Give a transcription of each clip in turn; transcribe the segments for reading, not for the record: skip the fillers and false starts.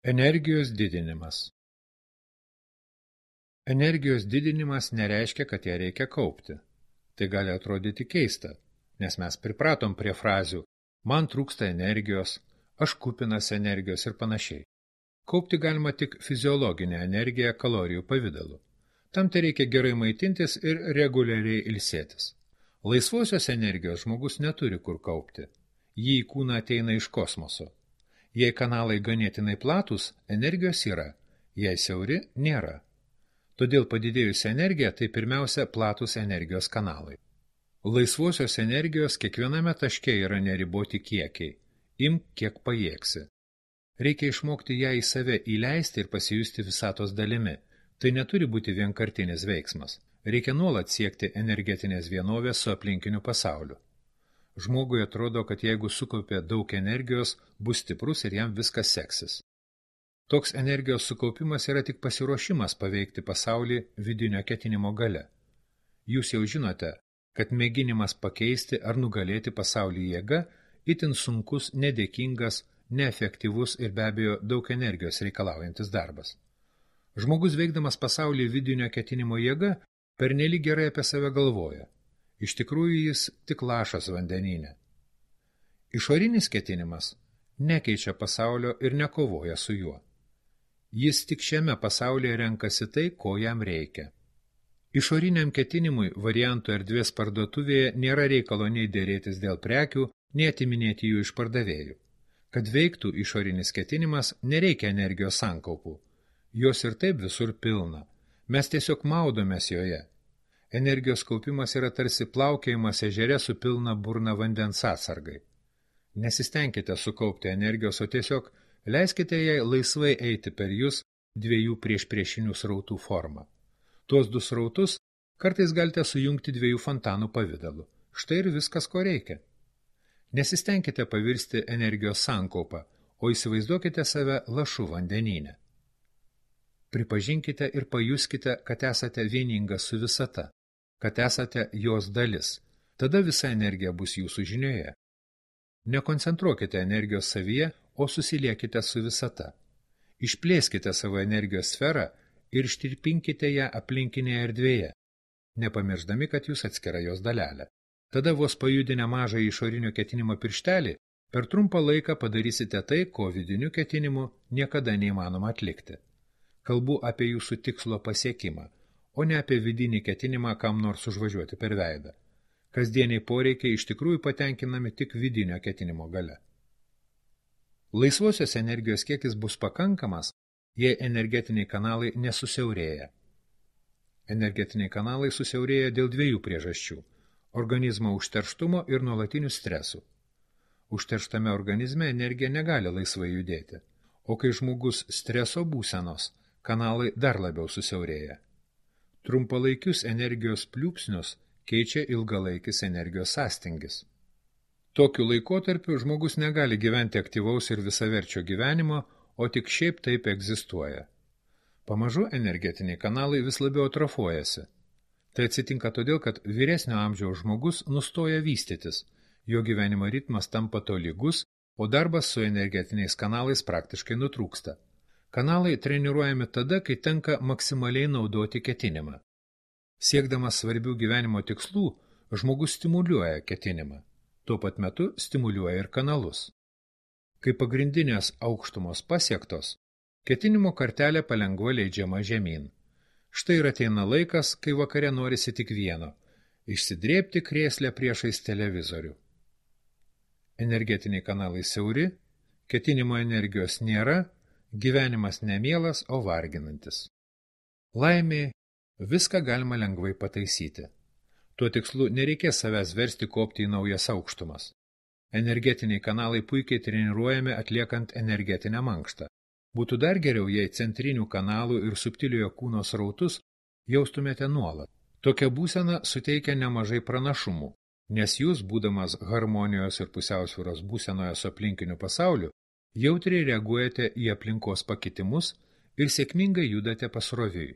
Energijos didinimas. Energijos didinimas nereiškia, kad ją reikia kaupti. Tai gali atrodyti keista, nes mes pripratom prie frazių man trūksta energijos, aš kupinas energijos ir panašiai. Kaupti galima tik fiziologinę energiją kalorijų pavidalu. Tam tai reikia gerai maitintis ir reguliariai ilsėtis. Laisvosios energijos žmogus neturi kur kaupti. Jį į kūną ateina iš kosmoso. Jei kanalai ganėtinai platus, energijos yra, jei siauri nėra. Todėl padidėjusi energija tai pirmiausia platus energijos kanalai. Laisvosios energijos kiekviename taške yra neriboti kiekiai. Imk, kiek pajėgsi. Reikia išmokti ją į save įleisti ir pasijusti visatos dalimi. Tai neturi būti vienkartinis veiksmas. Reikia nuolat siekti energetinės vienovės su aplinkiniu pasauliu. Žmogui atrodo, kad jeigu sukaupė daug energijos, bus stiprus ir jam viskas seksis. Toks energijos sukaupimas yra tik pasiruošimas paveikti pasaulį vidinio ketinimo gale. Jūs jau žinote, kad mėginimas pakeisti ar nugalėti pasaulį jėga itin sunkus, nedėkingas, neefektyvus ir be abejo daug energijos reikalaujantis darbas. Žmogus veikdamas pasaulį vidinio ketinimo jėga pernelyg gerai apie save galvoja. Iš tikrųjų jis tik lašas vandenyne. Išorinis ketinimas nekeičia pasaulio ir nekovoja su juo. Jis tik šiame pasaulyje renkasi tai, ko jam reikia. Išoriniam ketinimui variantų erdvės parduotuvėje nėra reikalo nei dėrėtis dėl prekių, nei atiminėti jų iš pardavėjų. Kad veiktų išorinis ketinimas, nereikia energijos sankaupų. Jos ir taip visur pilna. Mes tiesiog maudomės joje. Energijos kaupimas yra tarsi plaukiojimas ežere su pilna burna vandens atsargai. Nesistengkite sukaupti energijos, o tiesiog leiskite jai laisvai eiti per jūs dviejų priešpriešinių srautų formą. Tuos du srautus kartais galite sujungti dviejų fontanų pavidalu. Štai ir viskas, ko reikia. Nesistengkite pavirsti energijos sankaupą, o įsivaizduokite save lašu vandenyne. Pripažinkite ir pajuskite, kad esate vieningas su visata, kad esate jos dalis. Tada visa energija bus jūsų žinioje. Nekoncentruokite energijos savyje, o susiliekite su visata. Išplėskite savo energijos sferą ir ištirpinkite ją aplinkinėje erdvėje, nepamiršdami, kad jūs atskira jos dalelė. Tada vos pajudinę mažą išorinio ketinimo pirštelį, per trumpą laiką padarysite tai, ko vidiniu ketinimu niekada neįmanoma atlikti. Kalbu apie jūsų tikslo pasiekimą, o ne apie vidinį ketinimą kam nors užvažiuoti per veidą. Kasdieniai poreikiai iš tikrųjų patenkinami tik vidinio ketinimo gale. Laisvosios energijos kiekis bus pakankamas, jei energetiniai kanalai nesusiaurėja. Energetiniai kanalai susiaurėja dėl dviejų priežasčių – organizmo užterštumo ir nuolatinių stresų. Užterštame organizme energija negali laisvai judėti, o kai žmogus streso būsenos, kanalai dar labiau susiaurėja. Trumpalaikius energijos pliūpsnius keičia ilgalaikis energijos sąstingis. Tokiu laikotarpiu žmogus negali gyventi aktyvaus ir visaverčio gyvenimo, o tik šiaip taip egzistuoja. Pamažu energetiniai kanalai vis labiau atrofuojasi. Tai atsitinka todėl, kad vyresnio amžiaus žmogus nustoja vystytis, jo gyvenimo ritmas tampa tolygus, o darbas su energetiniais kanalais praktiškai nutrūksta. Kanalai treniruojami tada, kai tenka maksimaliai naudoti ketinimą. Siekdamas svarbių gyvenimo tikslų, žmogus stimuliuoja ketinimą. Tuo pat metu stimuliuoja ir kanalus. Kai pagrindinės aukštumos pasiektos, ketinimo kartelė palengva leidžiama žemyn. Štai ir ateina laikas, kai vakare norisi tik vieno – išsidrėbti krėslę priešais televizorių. Energetiniai kanalai siauri, ketinimo energijos nėra, gyvenimas nemielas, o varginantis. Laimė, viską galima lengvai pataisyti. Tuo tikslu nereikės savęs versti kopti į naujas aukštumas. Energetiniai kanalai puikiai treniruojami atliekant energetinę mankštą. Būtų dar geriau, jei centrinių kanalų ir subtiliojo kūno srautus jaustumėte nuolat. Tokia būsena suteikia nemažai pranašumų, nes jūs, būdamas harmonijos ir pusiausvyros būsenoje su aplinkiniu pasauliu, jautriai reaguojate į aplinkos pakitimus ir sėkmingai judate pasroviui.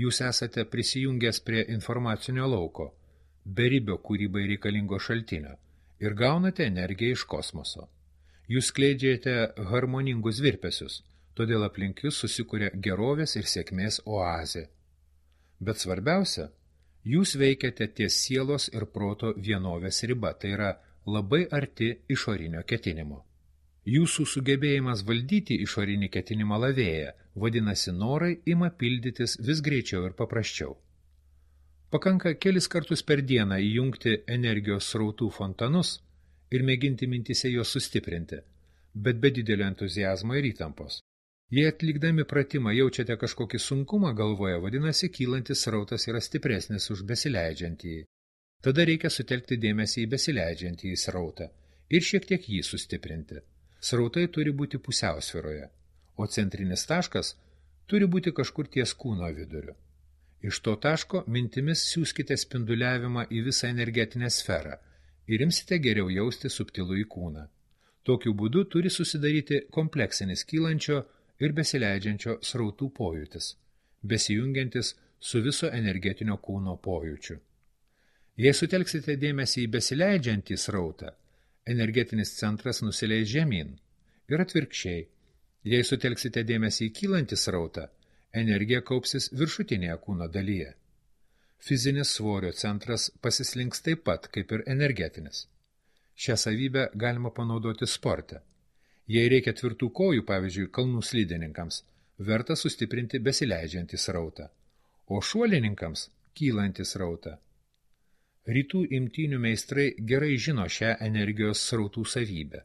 Jūs esate prisijungęs prie informacinio lauko, beribio kūrybai reikalingo šaltinio ir gaunate energiją iš kosmoso. Jūs skleidžiate harmoningus virpesius, todėl aplink jūs susikuria gerovės ir sėkmės oazė. Bet svarbiausia, jūs veikiate ties sielos ir proto vienovės riba, tai yra labai arti išorinio ketinimo. Jūsų sugebėjimas valdyti išorinį ketinimą lavėja, vadinasi, norai ima pildytis vis greičiau ir paprasčiau. Pakanka kelis kartus per dieną įjungti energijos srautų fontanus ir mėginti mintise juos sustiprinti, bet be didelio entuziazmo ir įtampos. Jei atlikdami pratimą jaučiate kažkokį sunkumą galvoje, vadinasi, kylantis srautas yra stipresnis už besileidžiantįjį. Tada reikia sutelkti dėmesį į besileidžiantįjį srautą ir šiek tiek jį sustiprinti. Srautai turi būti pusiausvyroje, o centrinis taškas turi būti kažkur ties kūno viduriu. Iš to taško mintimis siųskite spinduliavimą į visą energetinę sferą ir imsite geriau jausti subtilų į kūną. Tokiu būdu turi susidaryti kompleksinis kylančio ir besileidžiančio srautų pojūtis, besijungiantis su viso energetinio kūno pojūčiu. Jei sutelksite dėmesį į besileidžiantį srautą, energetinis centras nusileis žemyn ir atvirkščiai. Jei sutelksite dėmesį į kylantį srautą, energija kaupsis viršutinėje kūno dalyje. Fizinis svorio centras pasislinks taip pat, kaip ir energetinis. Šią savybę galima panaudoti sporte. Jei reikia tvirtų kojų, pavyzdžiui, kalnų slidininkams, verta sustiprinti besileidžiantį srautą, o šuolininkams kylantį srautą. Rytų imtynių meistrai gerai žino šią energijos srautų savybę.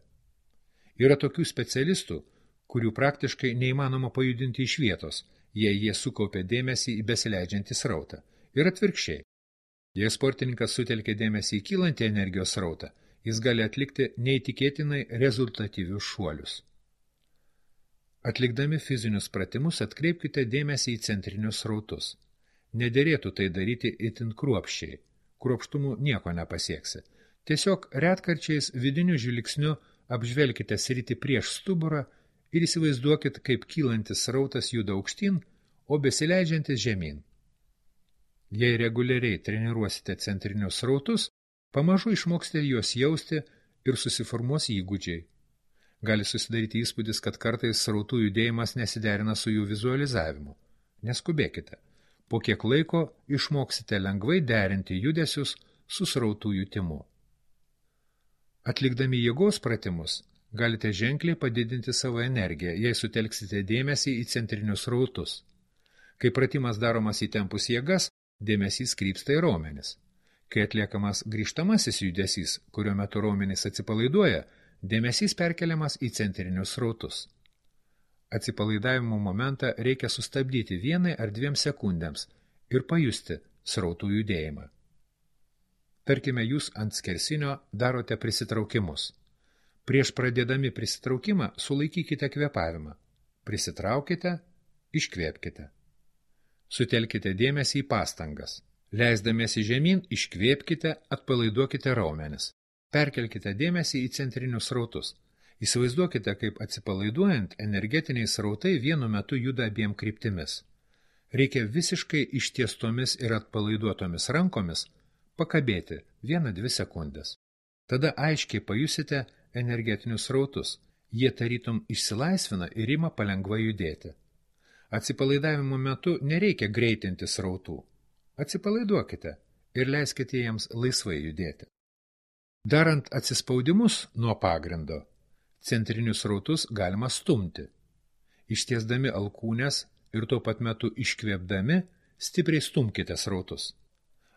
Yra tokių specialistų, kurių praktiškai neįmanoma pajudinti iš vietos, jei jie sukaupia dėmesį į besileidžiantį srautą. Ir atvirkščiai. Jei sportininkas sutelkia dėmesį į kylantį energijos srautą, jis gali atlikti neįtikėtinai rezultatyvius šuolius. Atlikdami fizinius pratimus atkreipkite dėmesį į centrinius srautus. Nederėtų tai daryti itin kruopščiai. Kruopštumu nieko nepasieksi. Tiesiog retkarčiais vidiniu žvilgsniu apžvelkite sritį prieš stuburą ir įsivaizduokit, kaip kylantis srautas juda aukštyn, o besileidžiantis žemyn. Jei reguliariai treniruosite centrinius srautus, pamažu išmoksite juos jausti ir susiformuos įgūdžiai. Gali susidaryti įspūdis, kad kartais srautų judėjimas nesiderina su jų vizualizavimu. Neskubėkite. Po kiek laiko išmoksite lengvai derinti judesius su srautų jutimu. Atlikdami jėgos pratimus, galite ženkliai padidinti savo energiją, jei sutelksite dėmesį į centrinius srautus. Kai pratimas daromas įtempus jėgas, dėmesys krypsta į raumenis. Kai atliekamas grįžtamasis judesys, kurio metu raumenys atsipalaiduoja, dėmesys perkeliamas į centrinius srautus. Atsipalaidavimo momentą reikia sustabdyti 1 ar 2 sekundėms ir pajusti srautų judėjimą. Tarkime, jūs ant skersinio darote prisitraukimus. Prieš pradėdami prisitraukimą sulaikykite kvėpavimą. Prisitraukite, iškvėpkite. Sutelkite dėmesį į pastangas. Leisdamiesi žemyn, iškvėpkite, atpalaiduokite raumenis. Perkelkite dėmesį į centrinius srautus. Įsivaizduokite, kaip atsipalaiduojant energetiniai srautai vienu metu juda abiem kryptimis. Reikia visiškai ištiestomis ir atpalaiduotomis rankomis pakabėti 1-2 sekundės. Tada aiškiai pajusite energetinius srautus. Jie tarytum išsilaisvina ir ima palengva judėti. Atsipalaidavimo metu nereikia greitinti srautų. Atsipalaiduokite ir leiskite jiems laisvai judėti. Darant atsispaudimus nuo pagrindo, centrinius srautus galima stumti. Ištiesdami alkūnes ir tuo pat metu iškvėpdami, stipriai stumkite srautus.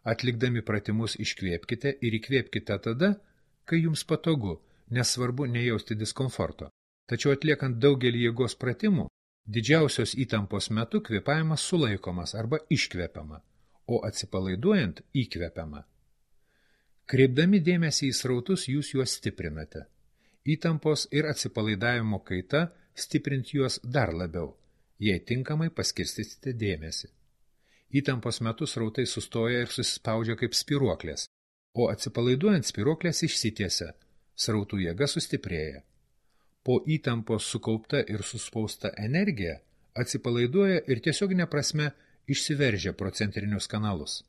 Atlikdami pratimus iškvėpkite ir įkvėpkite tada, kai jums patogu, nesvarbu nejausti diskomforto. Tačiau atliekant daugelį jėgos pratimų, didžiausios įtampos metu kvėpavimas sulaikomas arba iškvepiama, o atsipalaiduojant įkvepiama. Kreipdami dėmesį į srautus, jūs juos stiprinate. Įtampos ir atsipalaidavimo kaita stiprint juos dar labiau, jei tinkamai paskirstysite dėmesį. Įtampos metu srautai sustoja ir susispaudžia kaip spyruoklės, o atsipalaiduojant spyruoklės išsitiesia, srautų jėga sustiprėja. Po įtampos sukaupta ir suspausta energija atsipalaiduoja ir tiesioginė prasme išsiveržia pro centrinius kanalus.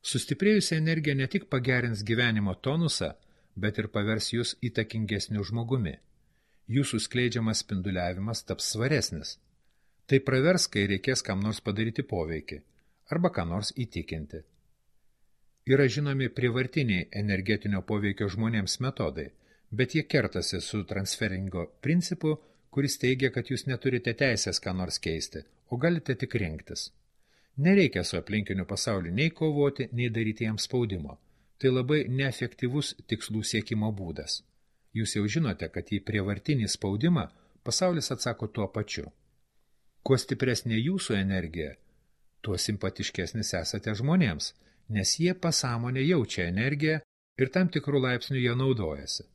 Sustiprėjusi energija ne tik pagerins gyvenimo tonusą, bet ir pavers jūs įtakingesniu žmogumi. jūsų skleidžiamas spinduliavimas taps svaresnis. Tai pravers, kai reikės kam nors padaryti poveikį arba ką nors įtikinti. Yra žinomi prievartiniai energetinio poveikio žmonėms metodai, bet jie kertasi su transferingo principu, kuris teigia, kad jūs neturite teisės ką nors keisti, o galite tik rinktis. Nereikia su aplinkiniu pasauliu nei kovoti, nei daryti jam spaudimo. Tai labai neefektyvus tikslų siekimo būdas. Jūs jau žinote, kad į prievartinį spaudimą pasaulis atsako tuo pačiu. Kuo stipresnė jūsų energija, tuo simpatiškesnis esate žmonėms, nes jie pasąmonė jaučia energiją ir tam tikrų laipsnių jie naudojasi.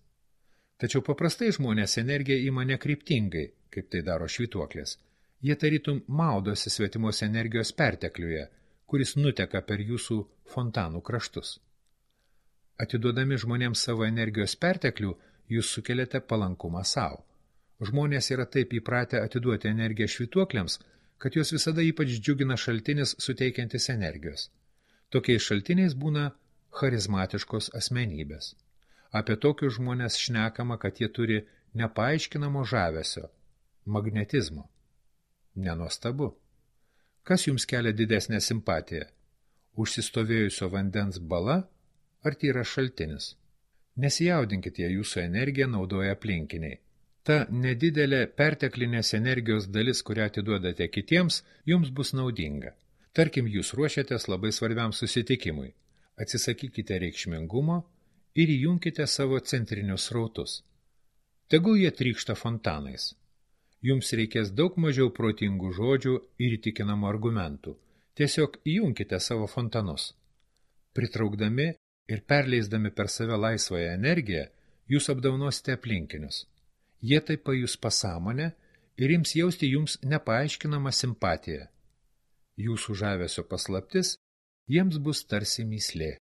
Tačiau paprastai žmonės energiją ima nekryptingai, kaip tai daro švytuoklės. Jie tarytum maudosi svetimos energijos pertekliuje, kuris nuteka per jūsų fontanų kraštus. Atiduodami žmonėms savo energijos perteklių, jūs sukeliate palankumą savo. Žmonės yra taip įpratę atiduoti energiją švytuokliams, kad jos visada ypač džiugina šaltinis suteikiantis energijos. Tokiais šaltiniais būna charizmatiškos asmenybės. Apie tokius žmonės šnekama, kad jie turi nepaaiškinamo žavesio, magnetizmo. Nenuostabu. Kas jums kelia didesnę simpatiją? Užsistovėjusio vandens bala ar tyras šaltinis? Nesijaudinkite, jei jūsų energiją naudoja aplinkiniai. Ta nedidelė perteklinės energijos dalis, kurią atiduodate kitiems, jums bus naudinga. Tarkim, jūs ruošiatės labai svarbiam susitikimui. Atsisakykite reikšmingumo ir įjunkite savo centrinius srautus. Tegul jie trykšta fontanais. Jums reikės daug mažiau protingų žodžių ir įtikinamų argumentų. Tiesiog įjunkite savo fontanus. Pritraukdami ir perleisdami per save laisvąją energiją, jūs apdaunosite aplinkinius. Jie taip pajus pasąmonę ir ims jausti jums nepaaiškinamą simpatiją. Jūsų žavesio paslaptis jiems bus tarsi mįslė.